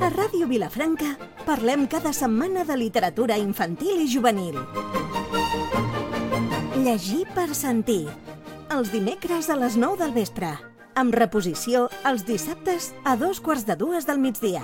A Ràdio Vilafranca parlem cada setmana de literatura infantil i juvenil. Llegir per sentir. Els dimecres a les 9 del vespre. Amb reposició els dissabtes a 2:45 del migdia.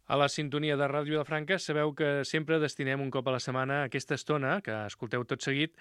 A la sintonia de Ràdio Vilafranca sabeu que sempre destinem un cop a la setmana aquesta estona, que escolteu tot seguit,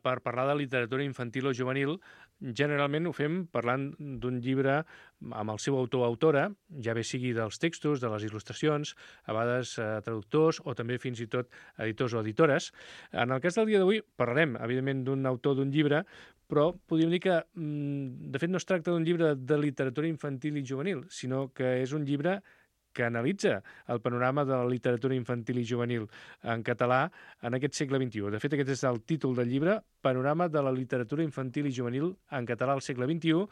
per parlar de literatura infantil o juvenil. Generalment ho fem parlant d'un llibre amb el seu autor o autora, ja bé sigui dels textos, de les il·lustracions, a vegades traductors o també fins i tot editors o editores. En el cas del dia d'avui parlarem, evidentment, d'un autor d'un llibre, però podríem dir que, de fet, no es tracta d'un llibre de literatura infantil i juvenil, sinó que és un llibre que analitza el panorama de la literatura infantil i juvenil en català en aquest segle XXI. De fet, aquest és el títol del llibre, Panorama de la literatura infantil i juvenil en català al segle XXI.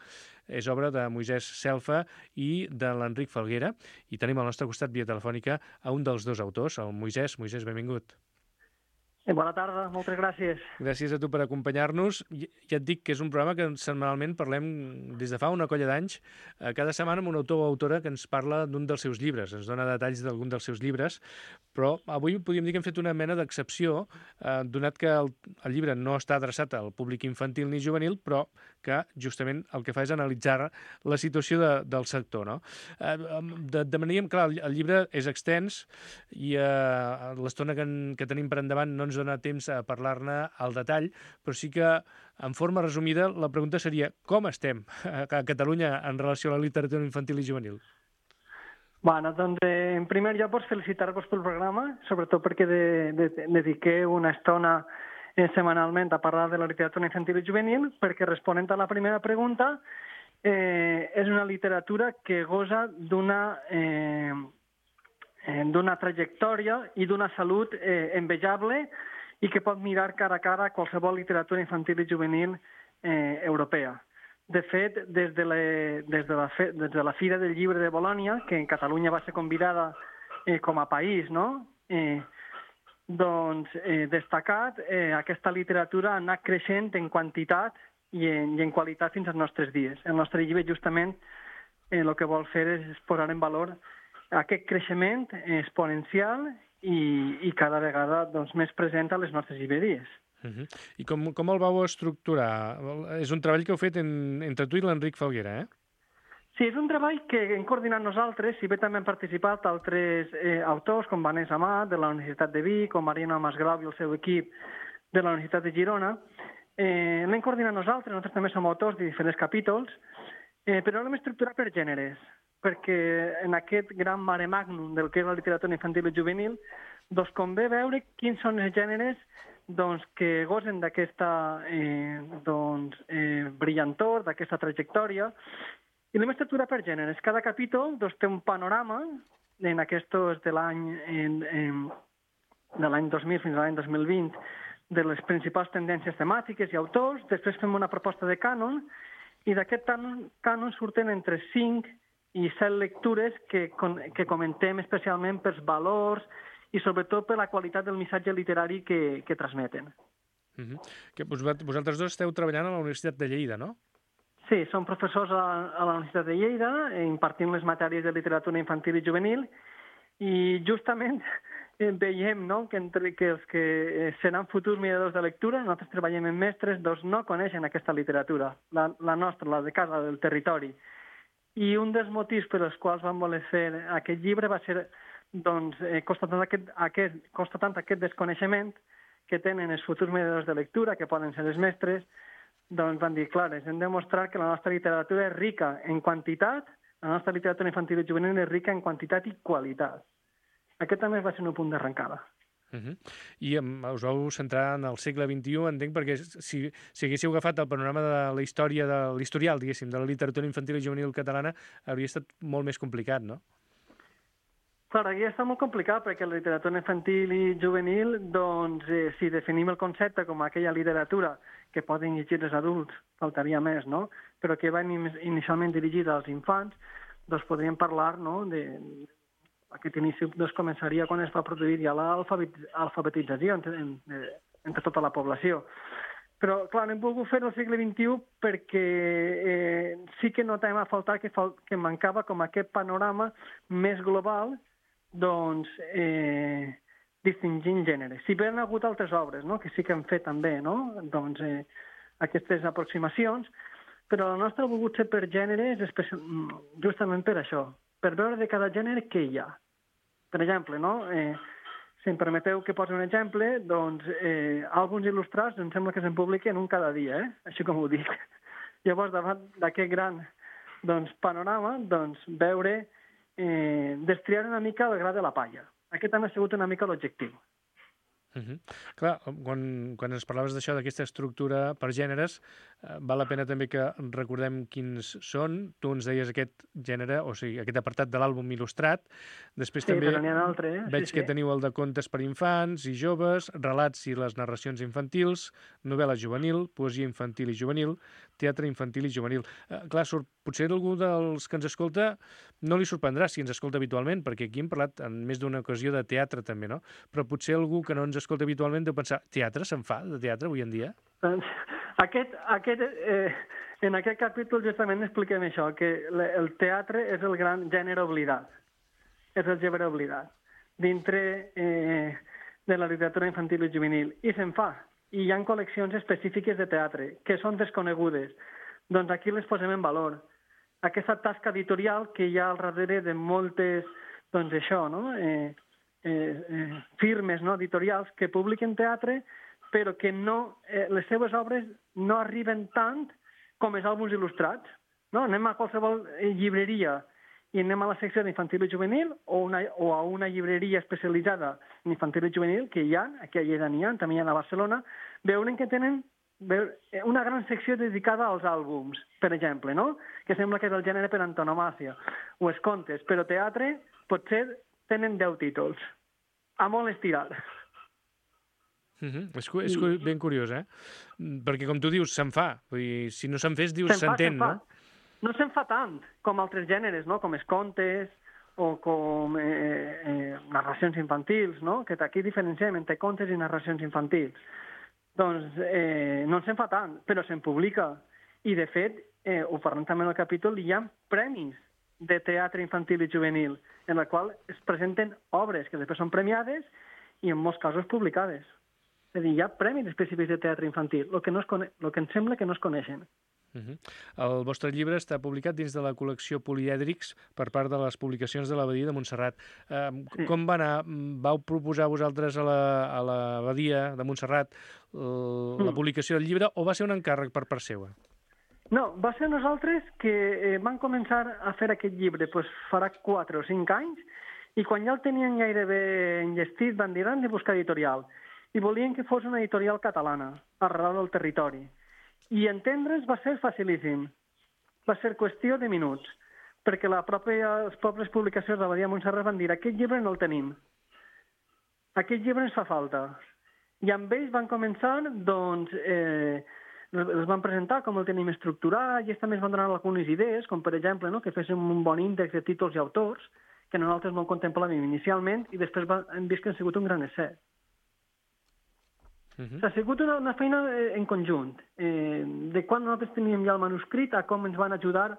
És obra de Moisès Selfa i de l'Enric Falguera. I tenim al nostre costat, via telefònica, a un dels dos autors, el Moisès. Moisès, benvingut. Bona tarda, moltes gràcies. Gràcies a tu per acompanyar-nos. Ja et dic que és un programa que setmanalment parlem des de fa una colla d'anys, cada setmana amb un autor o autora que ens parla d'un dels seus llibres, ens dona detalls d'algun dels seus llibres, però avui podríem dir que hem fet una mena d'excepció, donat que el llibre no està adreçat al públic infantil ni juvenil, però que justament el que fa és analitzar la situació del sector, no? Demanaríem, clar, el llibre és extens i l'estona que tenim per endavant no ens dona temps a parlar-ne al detall, però sí que, en forma resumida, la pregunta seria com estem a Catalunya en relació a la literatura infantil i juvenil? Bueno, doncs, en primer lloc, felicitar-vos pel programa, sobretot perquè dediqueu una estona setmanalment a parlar de la literatura infantil i juvenil, perquè responent a la primera pregunta, és una literatura que goza d'una trajectòria i d'una salut envejable i que pot mirar cara a cara qualsevol literatura infantil i juvenil europea. De fet, des de la Fira del Llibre de Bolònia, que en Catalunya va ser convidada com a país, no? Destacat, aquesta literatura ha anat creixent en quantitat i en qualitat fins als nostres dies. El nostre llibre, justament, el que vol fer és posar en valor aquest creixement exponencial i cada vegada més present a les nostres llibreries. I com el vau estructurar? És un treball que heu fet entre tu i l'Enric Falguera, eh? Sí, és un treball que hem coordinat nosaltres, si bé també han participat altres autors, com Vanessa Amat, de la Universitat de Vic, com Mariana Masgrau i el seu equip de la Universitat de Girona. L'hem coordinat nosaltres també som autors de diferents capítols, però l'hem estructurat per gèneres, perquè en aquest gran mare magnum del que és la literatura infantil i juvenil, doncs convé veure quins són els gèneres que gosen d'aquesta brillantor, d'aquesta trajectòria, i l'hem estructurat per gèneres. Cada capítol té un panorama, en aquests de l'any 2000 fins a l'any 2020, de les principals tendències temàtiques i autors, després fem una proposta de cànon, i d'aquest cànon surten entre 5 i 7 lectures que comentem especialment pels valors i sobretot per la qualitat del missatge literari que transmeten. Vosaltres dos esteu treballant a la Universitat de Lleida, no? Sí, som professors a la Universitat de Lleida, impartim les matèries de literatura infantil i juvenil, i justament veiem que els que seran futurs mediadors de lectura, nosaltres treballem amb mestres, no coneixen aquesta literatura, la nostra, la de casa, del territori. I un dels motius per als quals vam voler fer aquest llibre va ser constatant aquest desconeixement que tenen els futurs mediadors de lectura, que poden ser els mestres, doncs van dir, clar, hem de mostrar que la nostra literatura és rica en quantitat, la nostra literatura infantil i juvenil és rica en quantitat i qualitat. Aquest també va ser un punt d'arrencada. I us vau centrar en el segle XXI, entenc, perquè si haguéssiu agafat el panorama de la història, de l'historial, diguéssim, de la literatura infantil i juvenil catalana, hauria estat molt més complicat, no? Clar, aquí està molt complicat, perquè la literatura infantil i juvenil, si definim el concepte com aquella literatura que poden llegir els adults, faltaria més, no? Però que va inicialment dirigida als infants, doncs podríem parlar, no?, aquest inici començaria quan es va produir ja l'alfabetització entre tota la població. Però, clar, no hem volgut fer al segle XXI perquè sí que notem a faltar que mancava com aquest panorama més global, doncs, distingint gèneres. Si bé han hagut altres obres, no?, que sí que han fet també, no?, doncs, aquestes aproximacions, però la nostra ha volgut ser per gèneres justament per això, per veure de cada gènere què hi ha. Per exemple, no?, si em permeteu que posi un exemple, doncs àlbums il·lustrats em sembla que se'n publiquen un cada dia, així com ho dic. Llavors, davant d'aquest gran panorama, doncs, veure, destriar una mica el gra de la palla. Aquest ha sigut una mica l'objectiu. Clar, quan ens parlaves d'això, d'aquesta estructura per gèneres, val la pena també que recordem quins són. Tu ens deies aquest gènere, o sigui, aquest apartat de l'àlbum il·lustrat. Després també però n'hi ha altres. Veig que teniu el de contes per infants i joves, relats i les narracions infantils, novel·la juvenil, poesia infantil i juvenil, teatre infantil i juvenil. Clar, potser algú dels que ens escolta no li sorprendrà si ens escolta habitualment, perquè aquí hem parlat en més d'una ocasió de teatre també, no? Però potser algú que no ens escolta habitualment deu pensar, teatre, se'n fa de teatre avui en dia? En aquest capítol justament expliquem això, que el teatre és el gran gènere oblidat, és el gènere oblidat, dintre de la literatura infantil i juvenil, i se'n fa. I hi ha col·leccions específiques de teatre que són desconegudes. Doncs aquí les posem en valor. Aquesta tasca editorial que hi ha al darrere de moltes, doncs això, no?, firmes, no?, editorials que publiquen teatre, però que no, les seves obres no arriben tant com els àlbums il·lustrats. No? Anem a qualsevol llibreria i anem a la secció d'infantil i juvenil o a una llibreria especialitzada en infantil i juvenil, que hi ha, aquí a Lleida n'hi ha, també hi ha a Barcelona, veuen que tenen una gran secció dedicada als àlbums, per exemple, no?, que sembla que és el gènere per antonomàsia, o els contes, però teatre potser tenen 10 títols, a molt estirar. És ben curiós, perquè com tu dius, se'n fa. Vull dir, si no se'n fes, dius, s'entén, no? No se'n fa tant com altres gèneres, no?, com els contes o com narracions infantils, no?, que aquí diferenciem entre contes i narracions infantils. Doncs no se'n fa tant, però se'n publica. I, de fet, ho parlem també en el capítol, hi ha premis de teatre infantil i juvenil, en la qual es presenten obres que després són premiades i, en molts casos, publicades. És a dir, hi ha premis específics de teatre infantil, el que em sembla que no es coneixen. El vostre llibre està publicat dins de la col·lecció Polièdrics per part de les publicacions de l'Abadia de Montserrat. Com va anar? Vau proposar vosaltres a l'Abadia de Montserrat la publicació del llibre o va ser un encàrrec per part seva? No, va ser nosaltres que vam començar a fer aquest llibre farà 4 o 5 anys, i quan ja el tenien gairebé enllestit van dir, hem de buscar editorial. I volien que fos una editorial catalana, arrel del territori. I entendre's va ser facilíssim. Va ser qüestió de minuts, perquè les pròpies publicacions de l'Abadia de Montserrat van dir, aquest llibre no el tenim. Aquest llibre ens fa falta. I amb ells van començar, doncs, els van presentar com el tenim estructurat, i ells també ens van donar algunes idees, com per exemple, no?, que féssim un bon índex de títols i autors, que nosaltres no contemplàvem inicialment, i després hem vist que ha sigut un gran èxit. Ha sigut una feina en conjunt, de quan nosaltres teníem ja el manuscrit a com ens van ajudar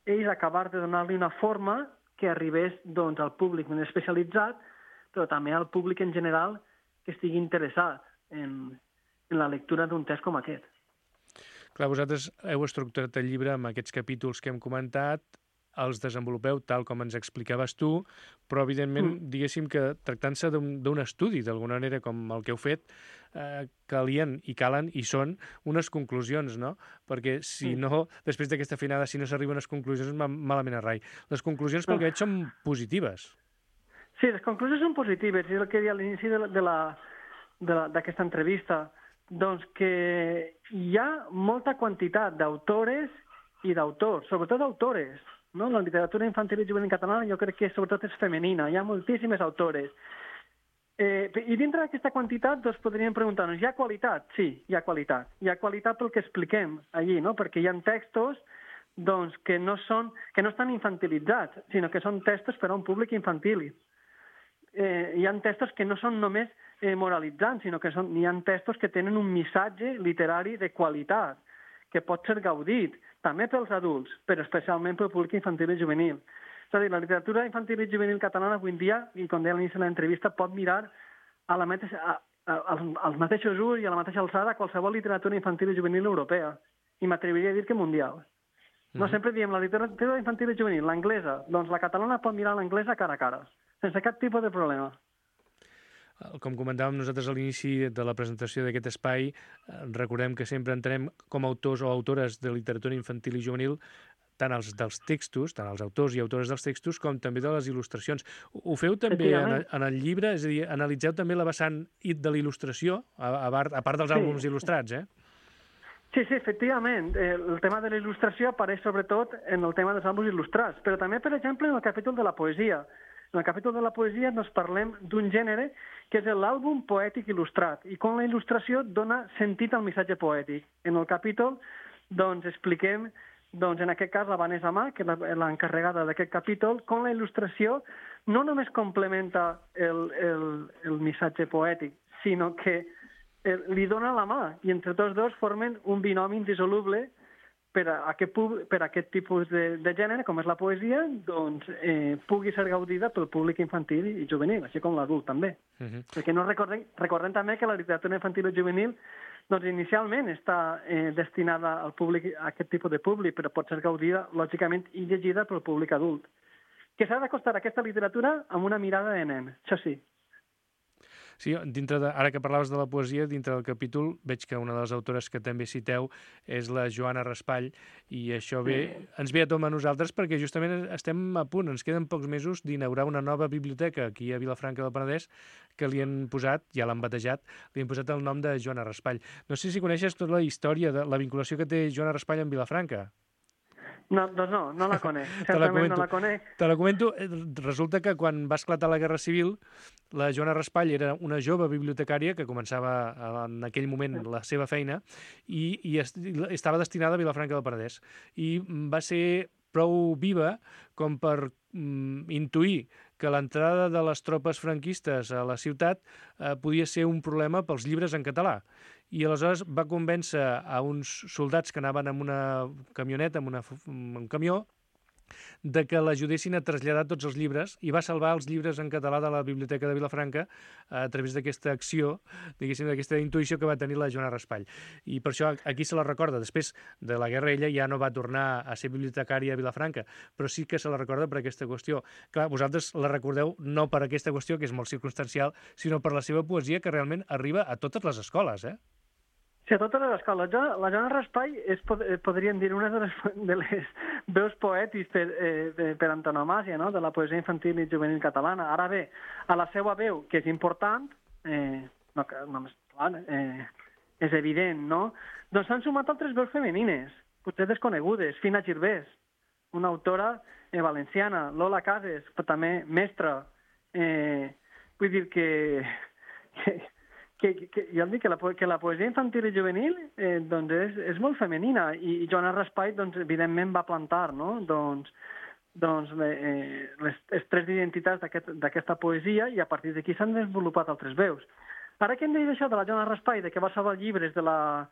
ells a acabar de donar-li una forma que arribés, doncs, al públic més especialitzat, però també al públic en general que estigui interessat en la lectura d'un text com aquest. Clar, vosaltres heu estructurat el llibre amb aquests capítols que hem comentat, els desenvolupeu tal com ens explicaves tu, però evidentment, diguéssim que tractant-se d'un estudi, d'alguna manera com el que heu fet, calien i calen i són unes conclusions, no? Perquè si no, després d'aquesta finada, si no s'arriba a unes conclusions, malament a rai. Les conclusions, pel que veig, són positives. Sí, les conclusions són positives, és el que deia a l'inici d'aquesta entrevista, doncs que hi ha molta quantitat d'autores i d'autors, sobretot d'autores, no? La literatura infantil i juvenil catalana jo crec que sobretot és femenina, hi ha moltíssimes autores. I dintre d'aquesta quantitat doncs podríem preguntar-nos, hi ha qualitat? Sí, hi ha qualitat. Hi ha qualitat pel que expliquem allí, no? Perquè hi ha textos doncs, que no estan infantilitzats, sinó que són textos per a un públic infantil. Hi ha textos que no són només moralitzant, sinó que n'hi ha textos que tenen un missatge literari de qualitat, que pot ser gaudit, també pels adults, però especialment pel públic infantil i juvenil. És a dir, la literatura infantil i juvenil catalana avui en dia, i com deia a l'inici de l'entrevista, pot mirar als mateixos ulls i a la mateixa alçada qualsevol literatura infantil i juvenil europea, i m'atreviria a dir que mundial. No sempre diem la literatura infantil i juvenil, l'anglesa, doncs la catalana pot mirar l'anglesa cara a cara, sense cap tipus de problema. Com comentàvem nosaltres a l'inici de la presentació d'aquest espai, recordem que sempre entenem com a autors o autores de literatura infantil i juvenil tant els dels textos, tant els autors i autores dels textos, com també de les il·lustracions. Ho feu també en el llibre? És a dir, analitzeu també la vessant de la il·lustració, a part dels àlbums il·lustrats, eh? Sí, efectivament. El tema de la il·lustració apareix sobretot en el tema dels àlbums il·lustrats, però també, per exemple, en el capítol de la poesia. En el capítol de la poesia ens parlem d'un gènere que és l'àlbum poètic il·lustrat, i com la il·lustració dona sentit al missatge poètic. En el capítol, doncs, expliquem, doncs, en aquest cas, la Vanessa Ma, que és l'encarregada d'aquest capítol, com la il·lustració no només complementa el missatge poètic, sinó que li dona la mà, i entre tots dos formen un binomi indissoluble per a aquest tipus de gènere, com és la poesia, doncs pugui ser gaudida pel públic infantil i juvenil, així com l'adult també. Perquè no recordem també que la literatura infantil i juvenil doncs inicialment està destinada al públic, a aquest tipus de públic, però pot ser gaudida, lògicament, i llegida pel públic adult. Que s'ha d'acostar a aquesta literatura amb una mirada de nen, això sí. Sí, ara que parlaves de la poesia, dintre del capítol veig que una de les autores que també citeu és la Joana Raspall, i això ens ve a tom a nosaltres perquè justament estem a punt, ens queden pocs mesos d'inaugurar una nova biblioteca aquí a Vilafranca del Penedès que li han posat, ja l'han batejat, li han posat el nom de Joana Raspall. No sé si coneixes tota la història de la vinculació que té Joana Raspall amb Vilafranca. No, doncs no la conec. Certament no la conec. Te la comento. Resulta que quan va esclatar la Guerra Civil, la Joana Raspall era una jove bibliotecària que començava en aquell moment la seva feina i estava destinada a Vilafranca del Penedès. I va ser prou viva com per intuir que l'entrada de les tropes franquistes a la ciutat podia ser un problema pels llibres en català. I aleshores va convèncer a uns soldats que anaven amb una camioneta, amb un camió, de que l'ajudessin a traslladar tots els llibres, i va salvar els llibres en català de la Biblioteca de Vilafranca a través d'aquesta acció, diguéssim, d'aquesta intuïció que va tenir la Joana Raspall. I per això aquí se la recorda. Després de la guerra ella ja no va tornar a ser bibliotecària a Vilafranca, però sí que se la recorda per aquesta qüestió. Clar, vosaltres la recordeu no per aquesta qüestió, que és molt circumstancial, sinó per la seva poesia, que realment arriba a totes les escoles, eh? Sí, a totes les escoles. La Joana Raspall és, podríem dir, una de les veus poètics per antonomàsia, no?, de la poesia infantil i juvenil catalana. Ara bé, a la seva veu, que és important, és evident, no?, doncs s'han sumat altres veus femenines, potser desconegudes. Fina Girbés, una autora valenciana, Lola Cases, però també mestra. Vull dir que jo dic que la poesia infantil i juvenil doncs és molt femenina, i Joana Raspall doncs, evidentment va plantar, no?, doncs les tres identitats d'aquesta poesia, i a partir d'aquí s'han desenvolupat altres veus. Ara que hem dit això de la Joana Raspall, de que va salvar llibres de la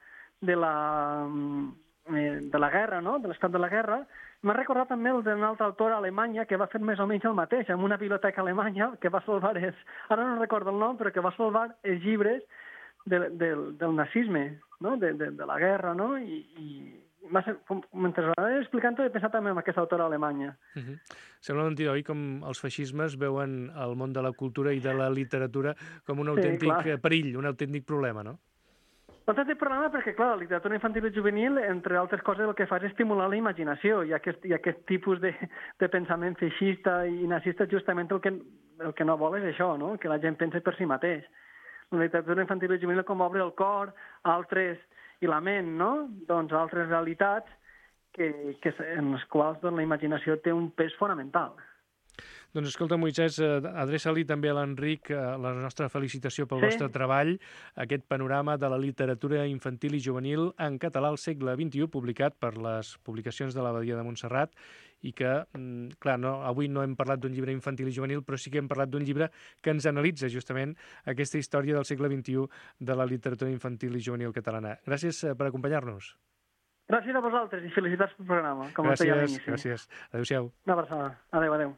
guerra, no?, de l'estat de la guerra, m'ha recordat també el d'una altra autora alemanya que va fer més o menys el mateix, en una biblioteca alemanya, que va salvar ara no recordo el nom, però que va salvar els llibres del nazisme, no?, de la guerra, no?, i mentre l'anava explicant he pensat també en aquesta autora alemanya. Sembla mentida, oi, com els feixismes veuen el món de la cultura i de la literatura com un autèntic perill, un autèntic problema, no? Doncs té problema perquè, clar, la literatura infantil i juvenil, entre altres coses, el que fa és estimular la imaginació, i aquest tipus de pensament feixista i nazista justament el que no vol és això, no?, que la gent pensi per si mateix. La literatura infantil i juvenil com obre el cor a altres, i la ment, no?, doncs a altres realitats en les quals la imaginació té un pes fonamental. Doncs escolta, Moisès, adreça-li també a l'Enric la nostra felicitació pel vostre treball, aquest panorama de la literatura infantil i juvenil en català al segle XXI, publicat per les publicacions de l'Abadia de Montserrat, i que, clar, avui no hem parlat d'un llibre infantil i juvenil, però sí que hem parlat d'un llibre que ens analitza justament aquesta història del segle XXI de la literatura infantil i juvenil catalana. Gràcies per acompanyar-nos. Gràcies a vosaltres i felicitats pel programa, com us deia a l'inici. Gràcies. Adéu-siau. Una abraçada. Adéu.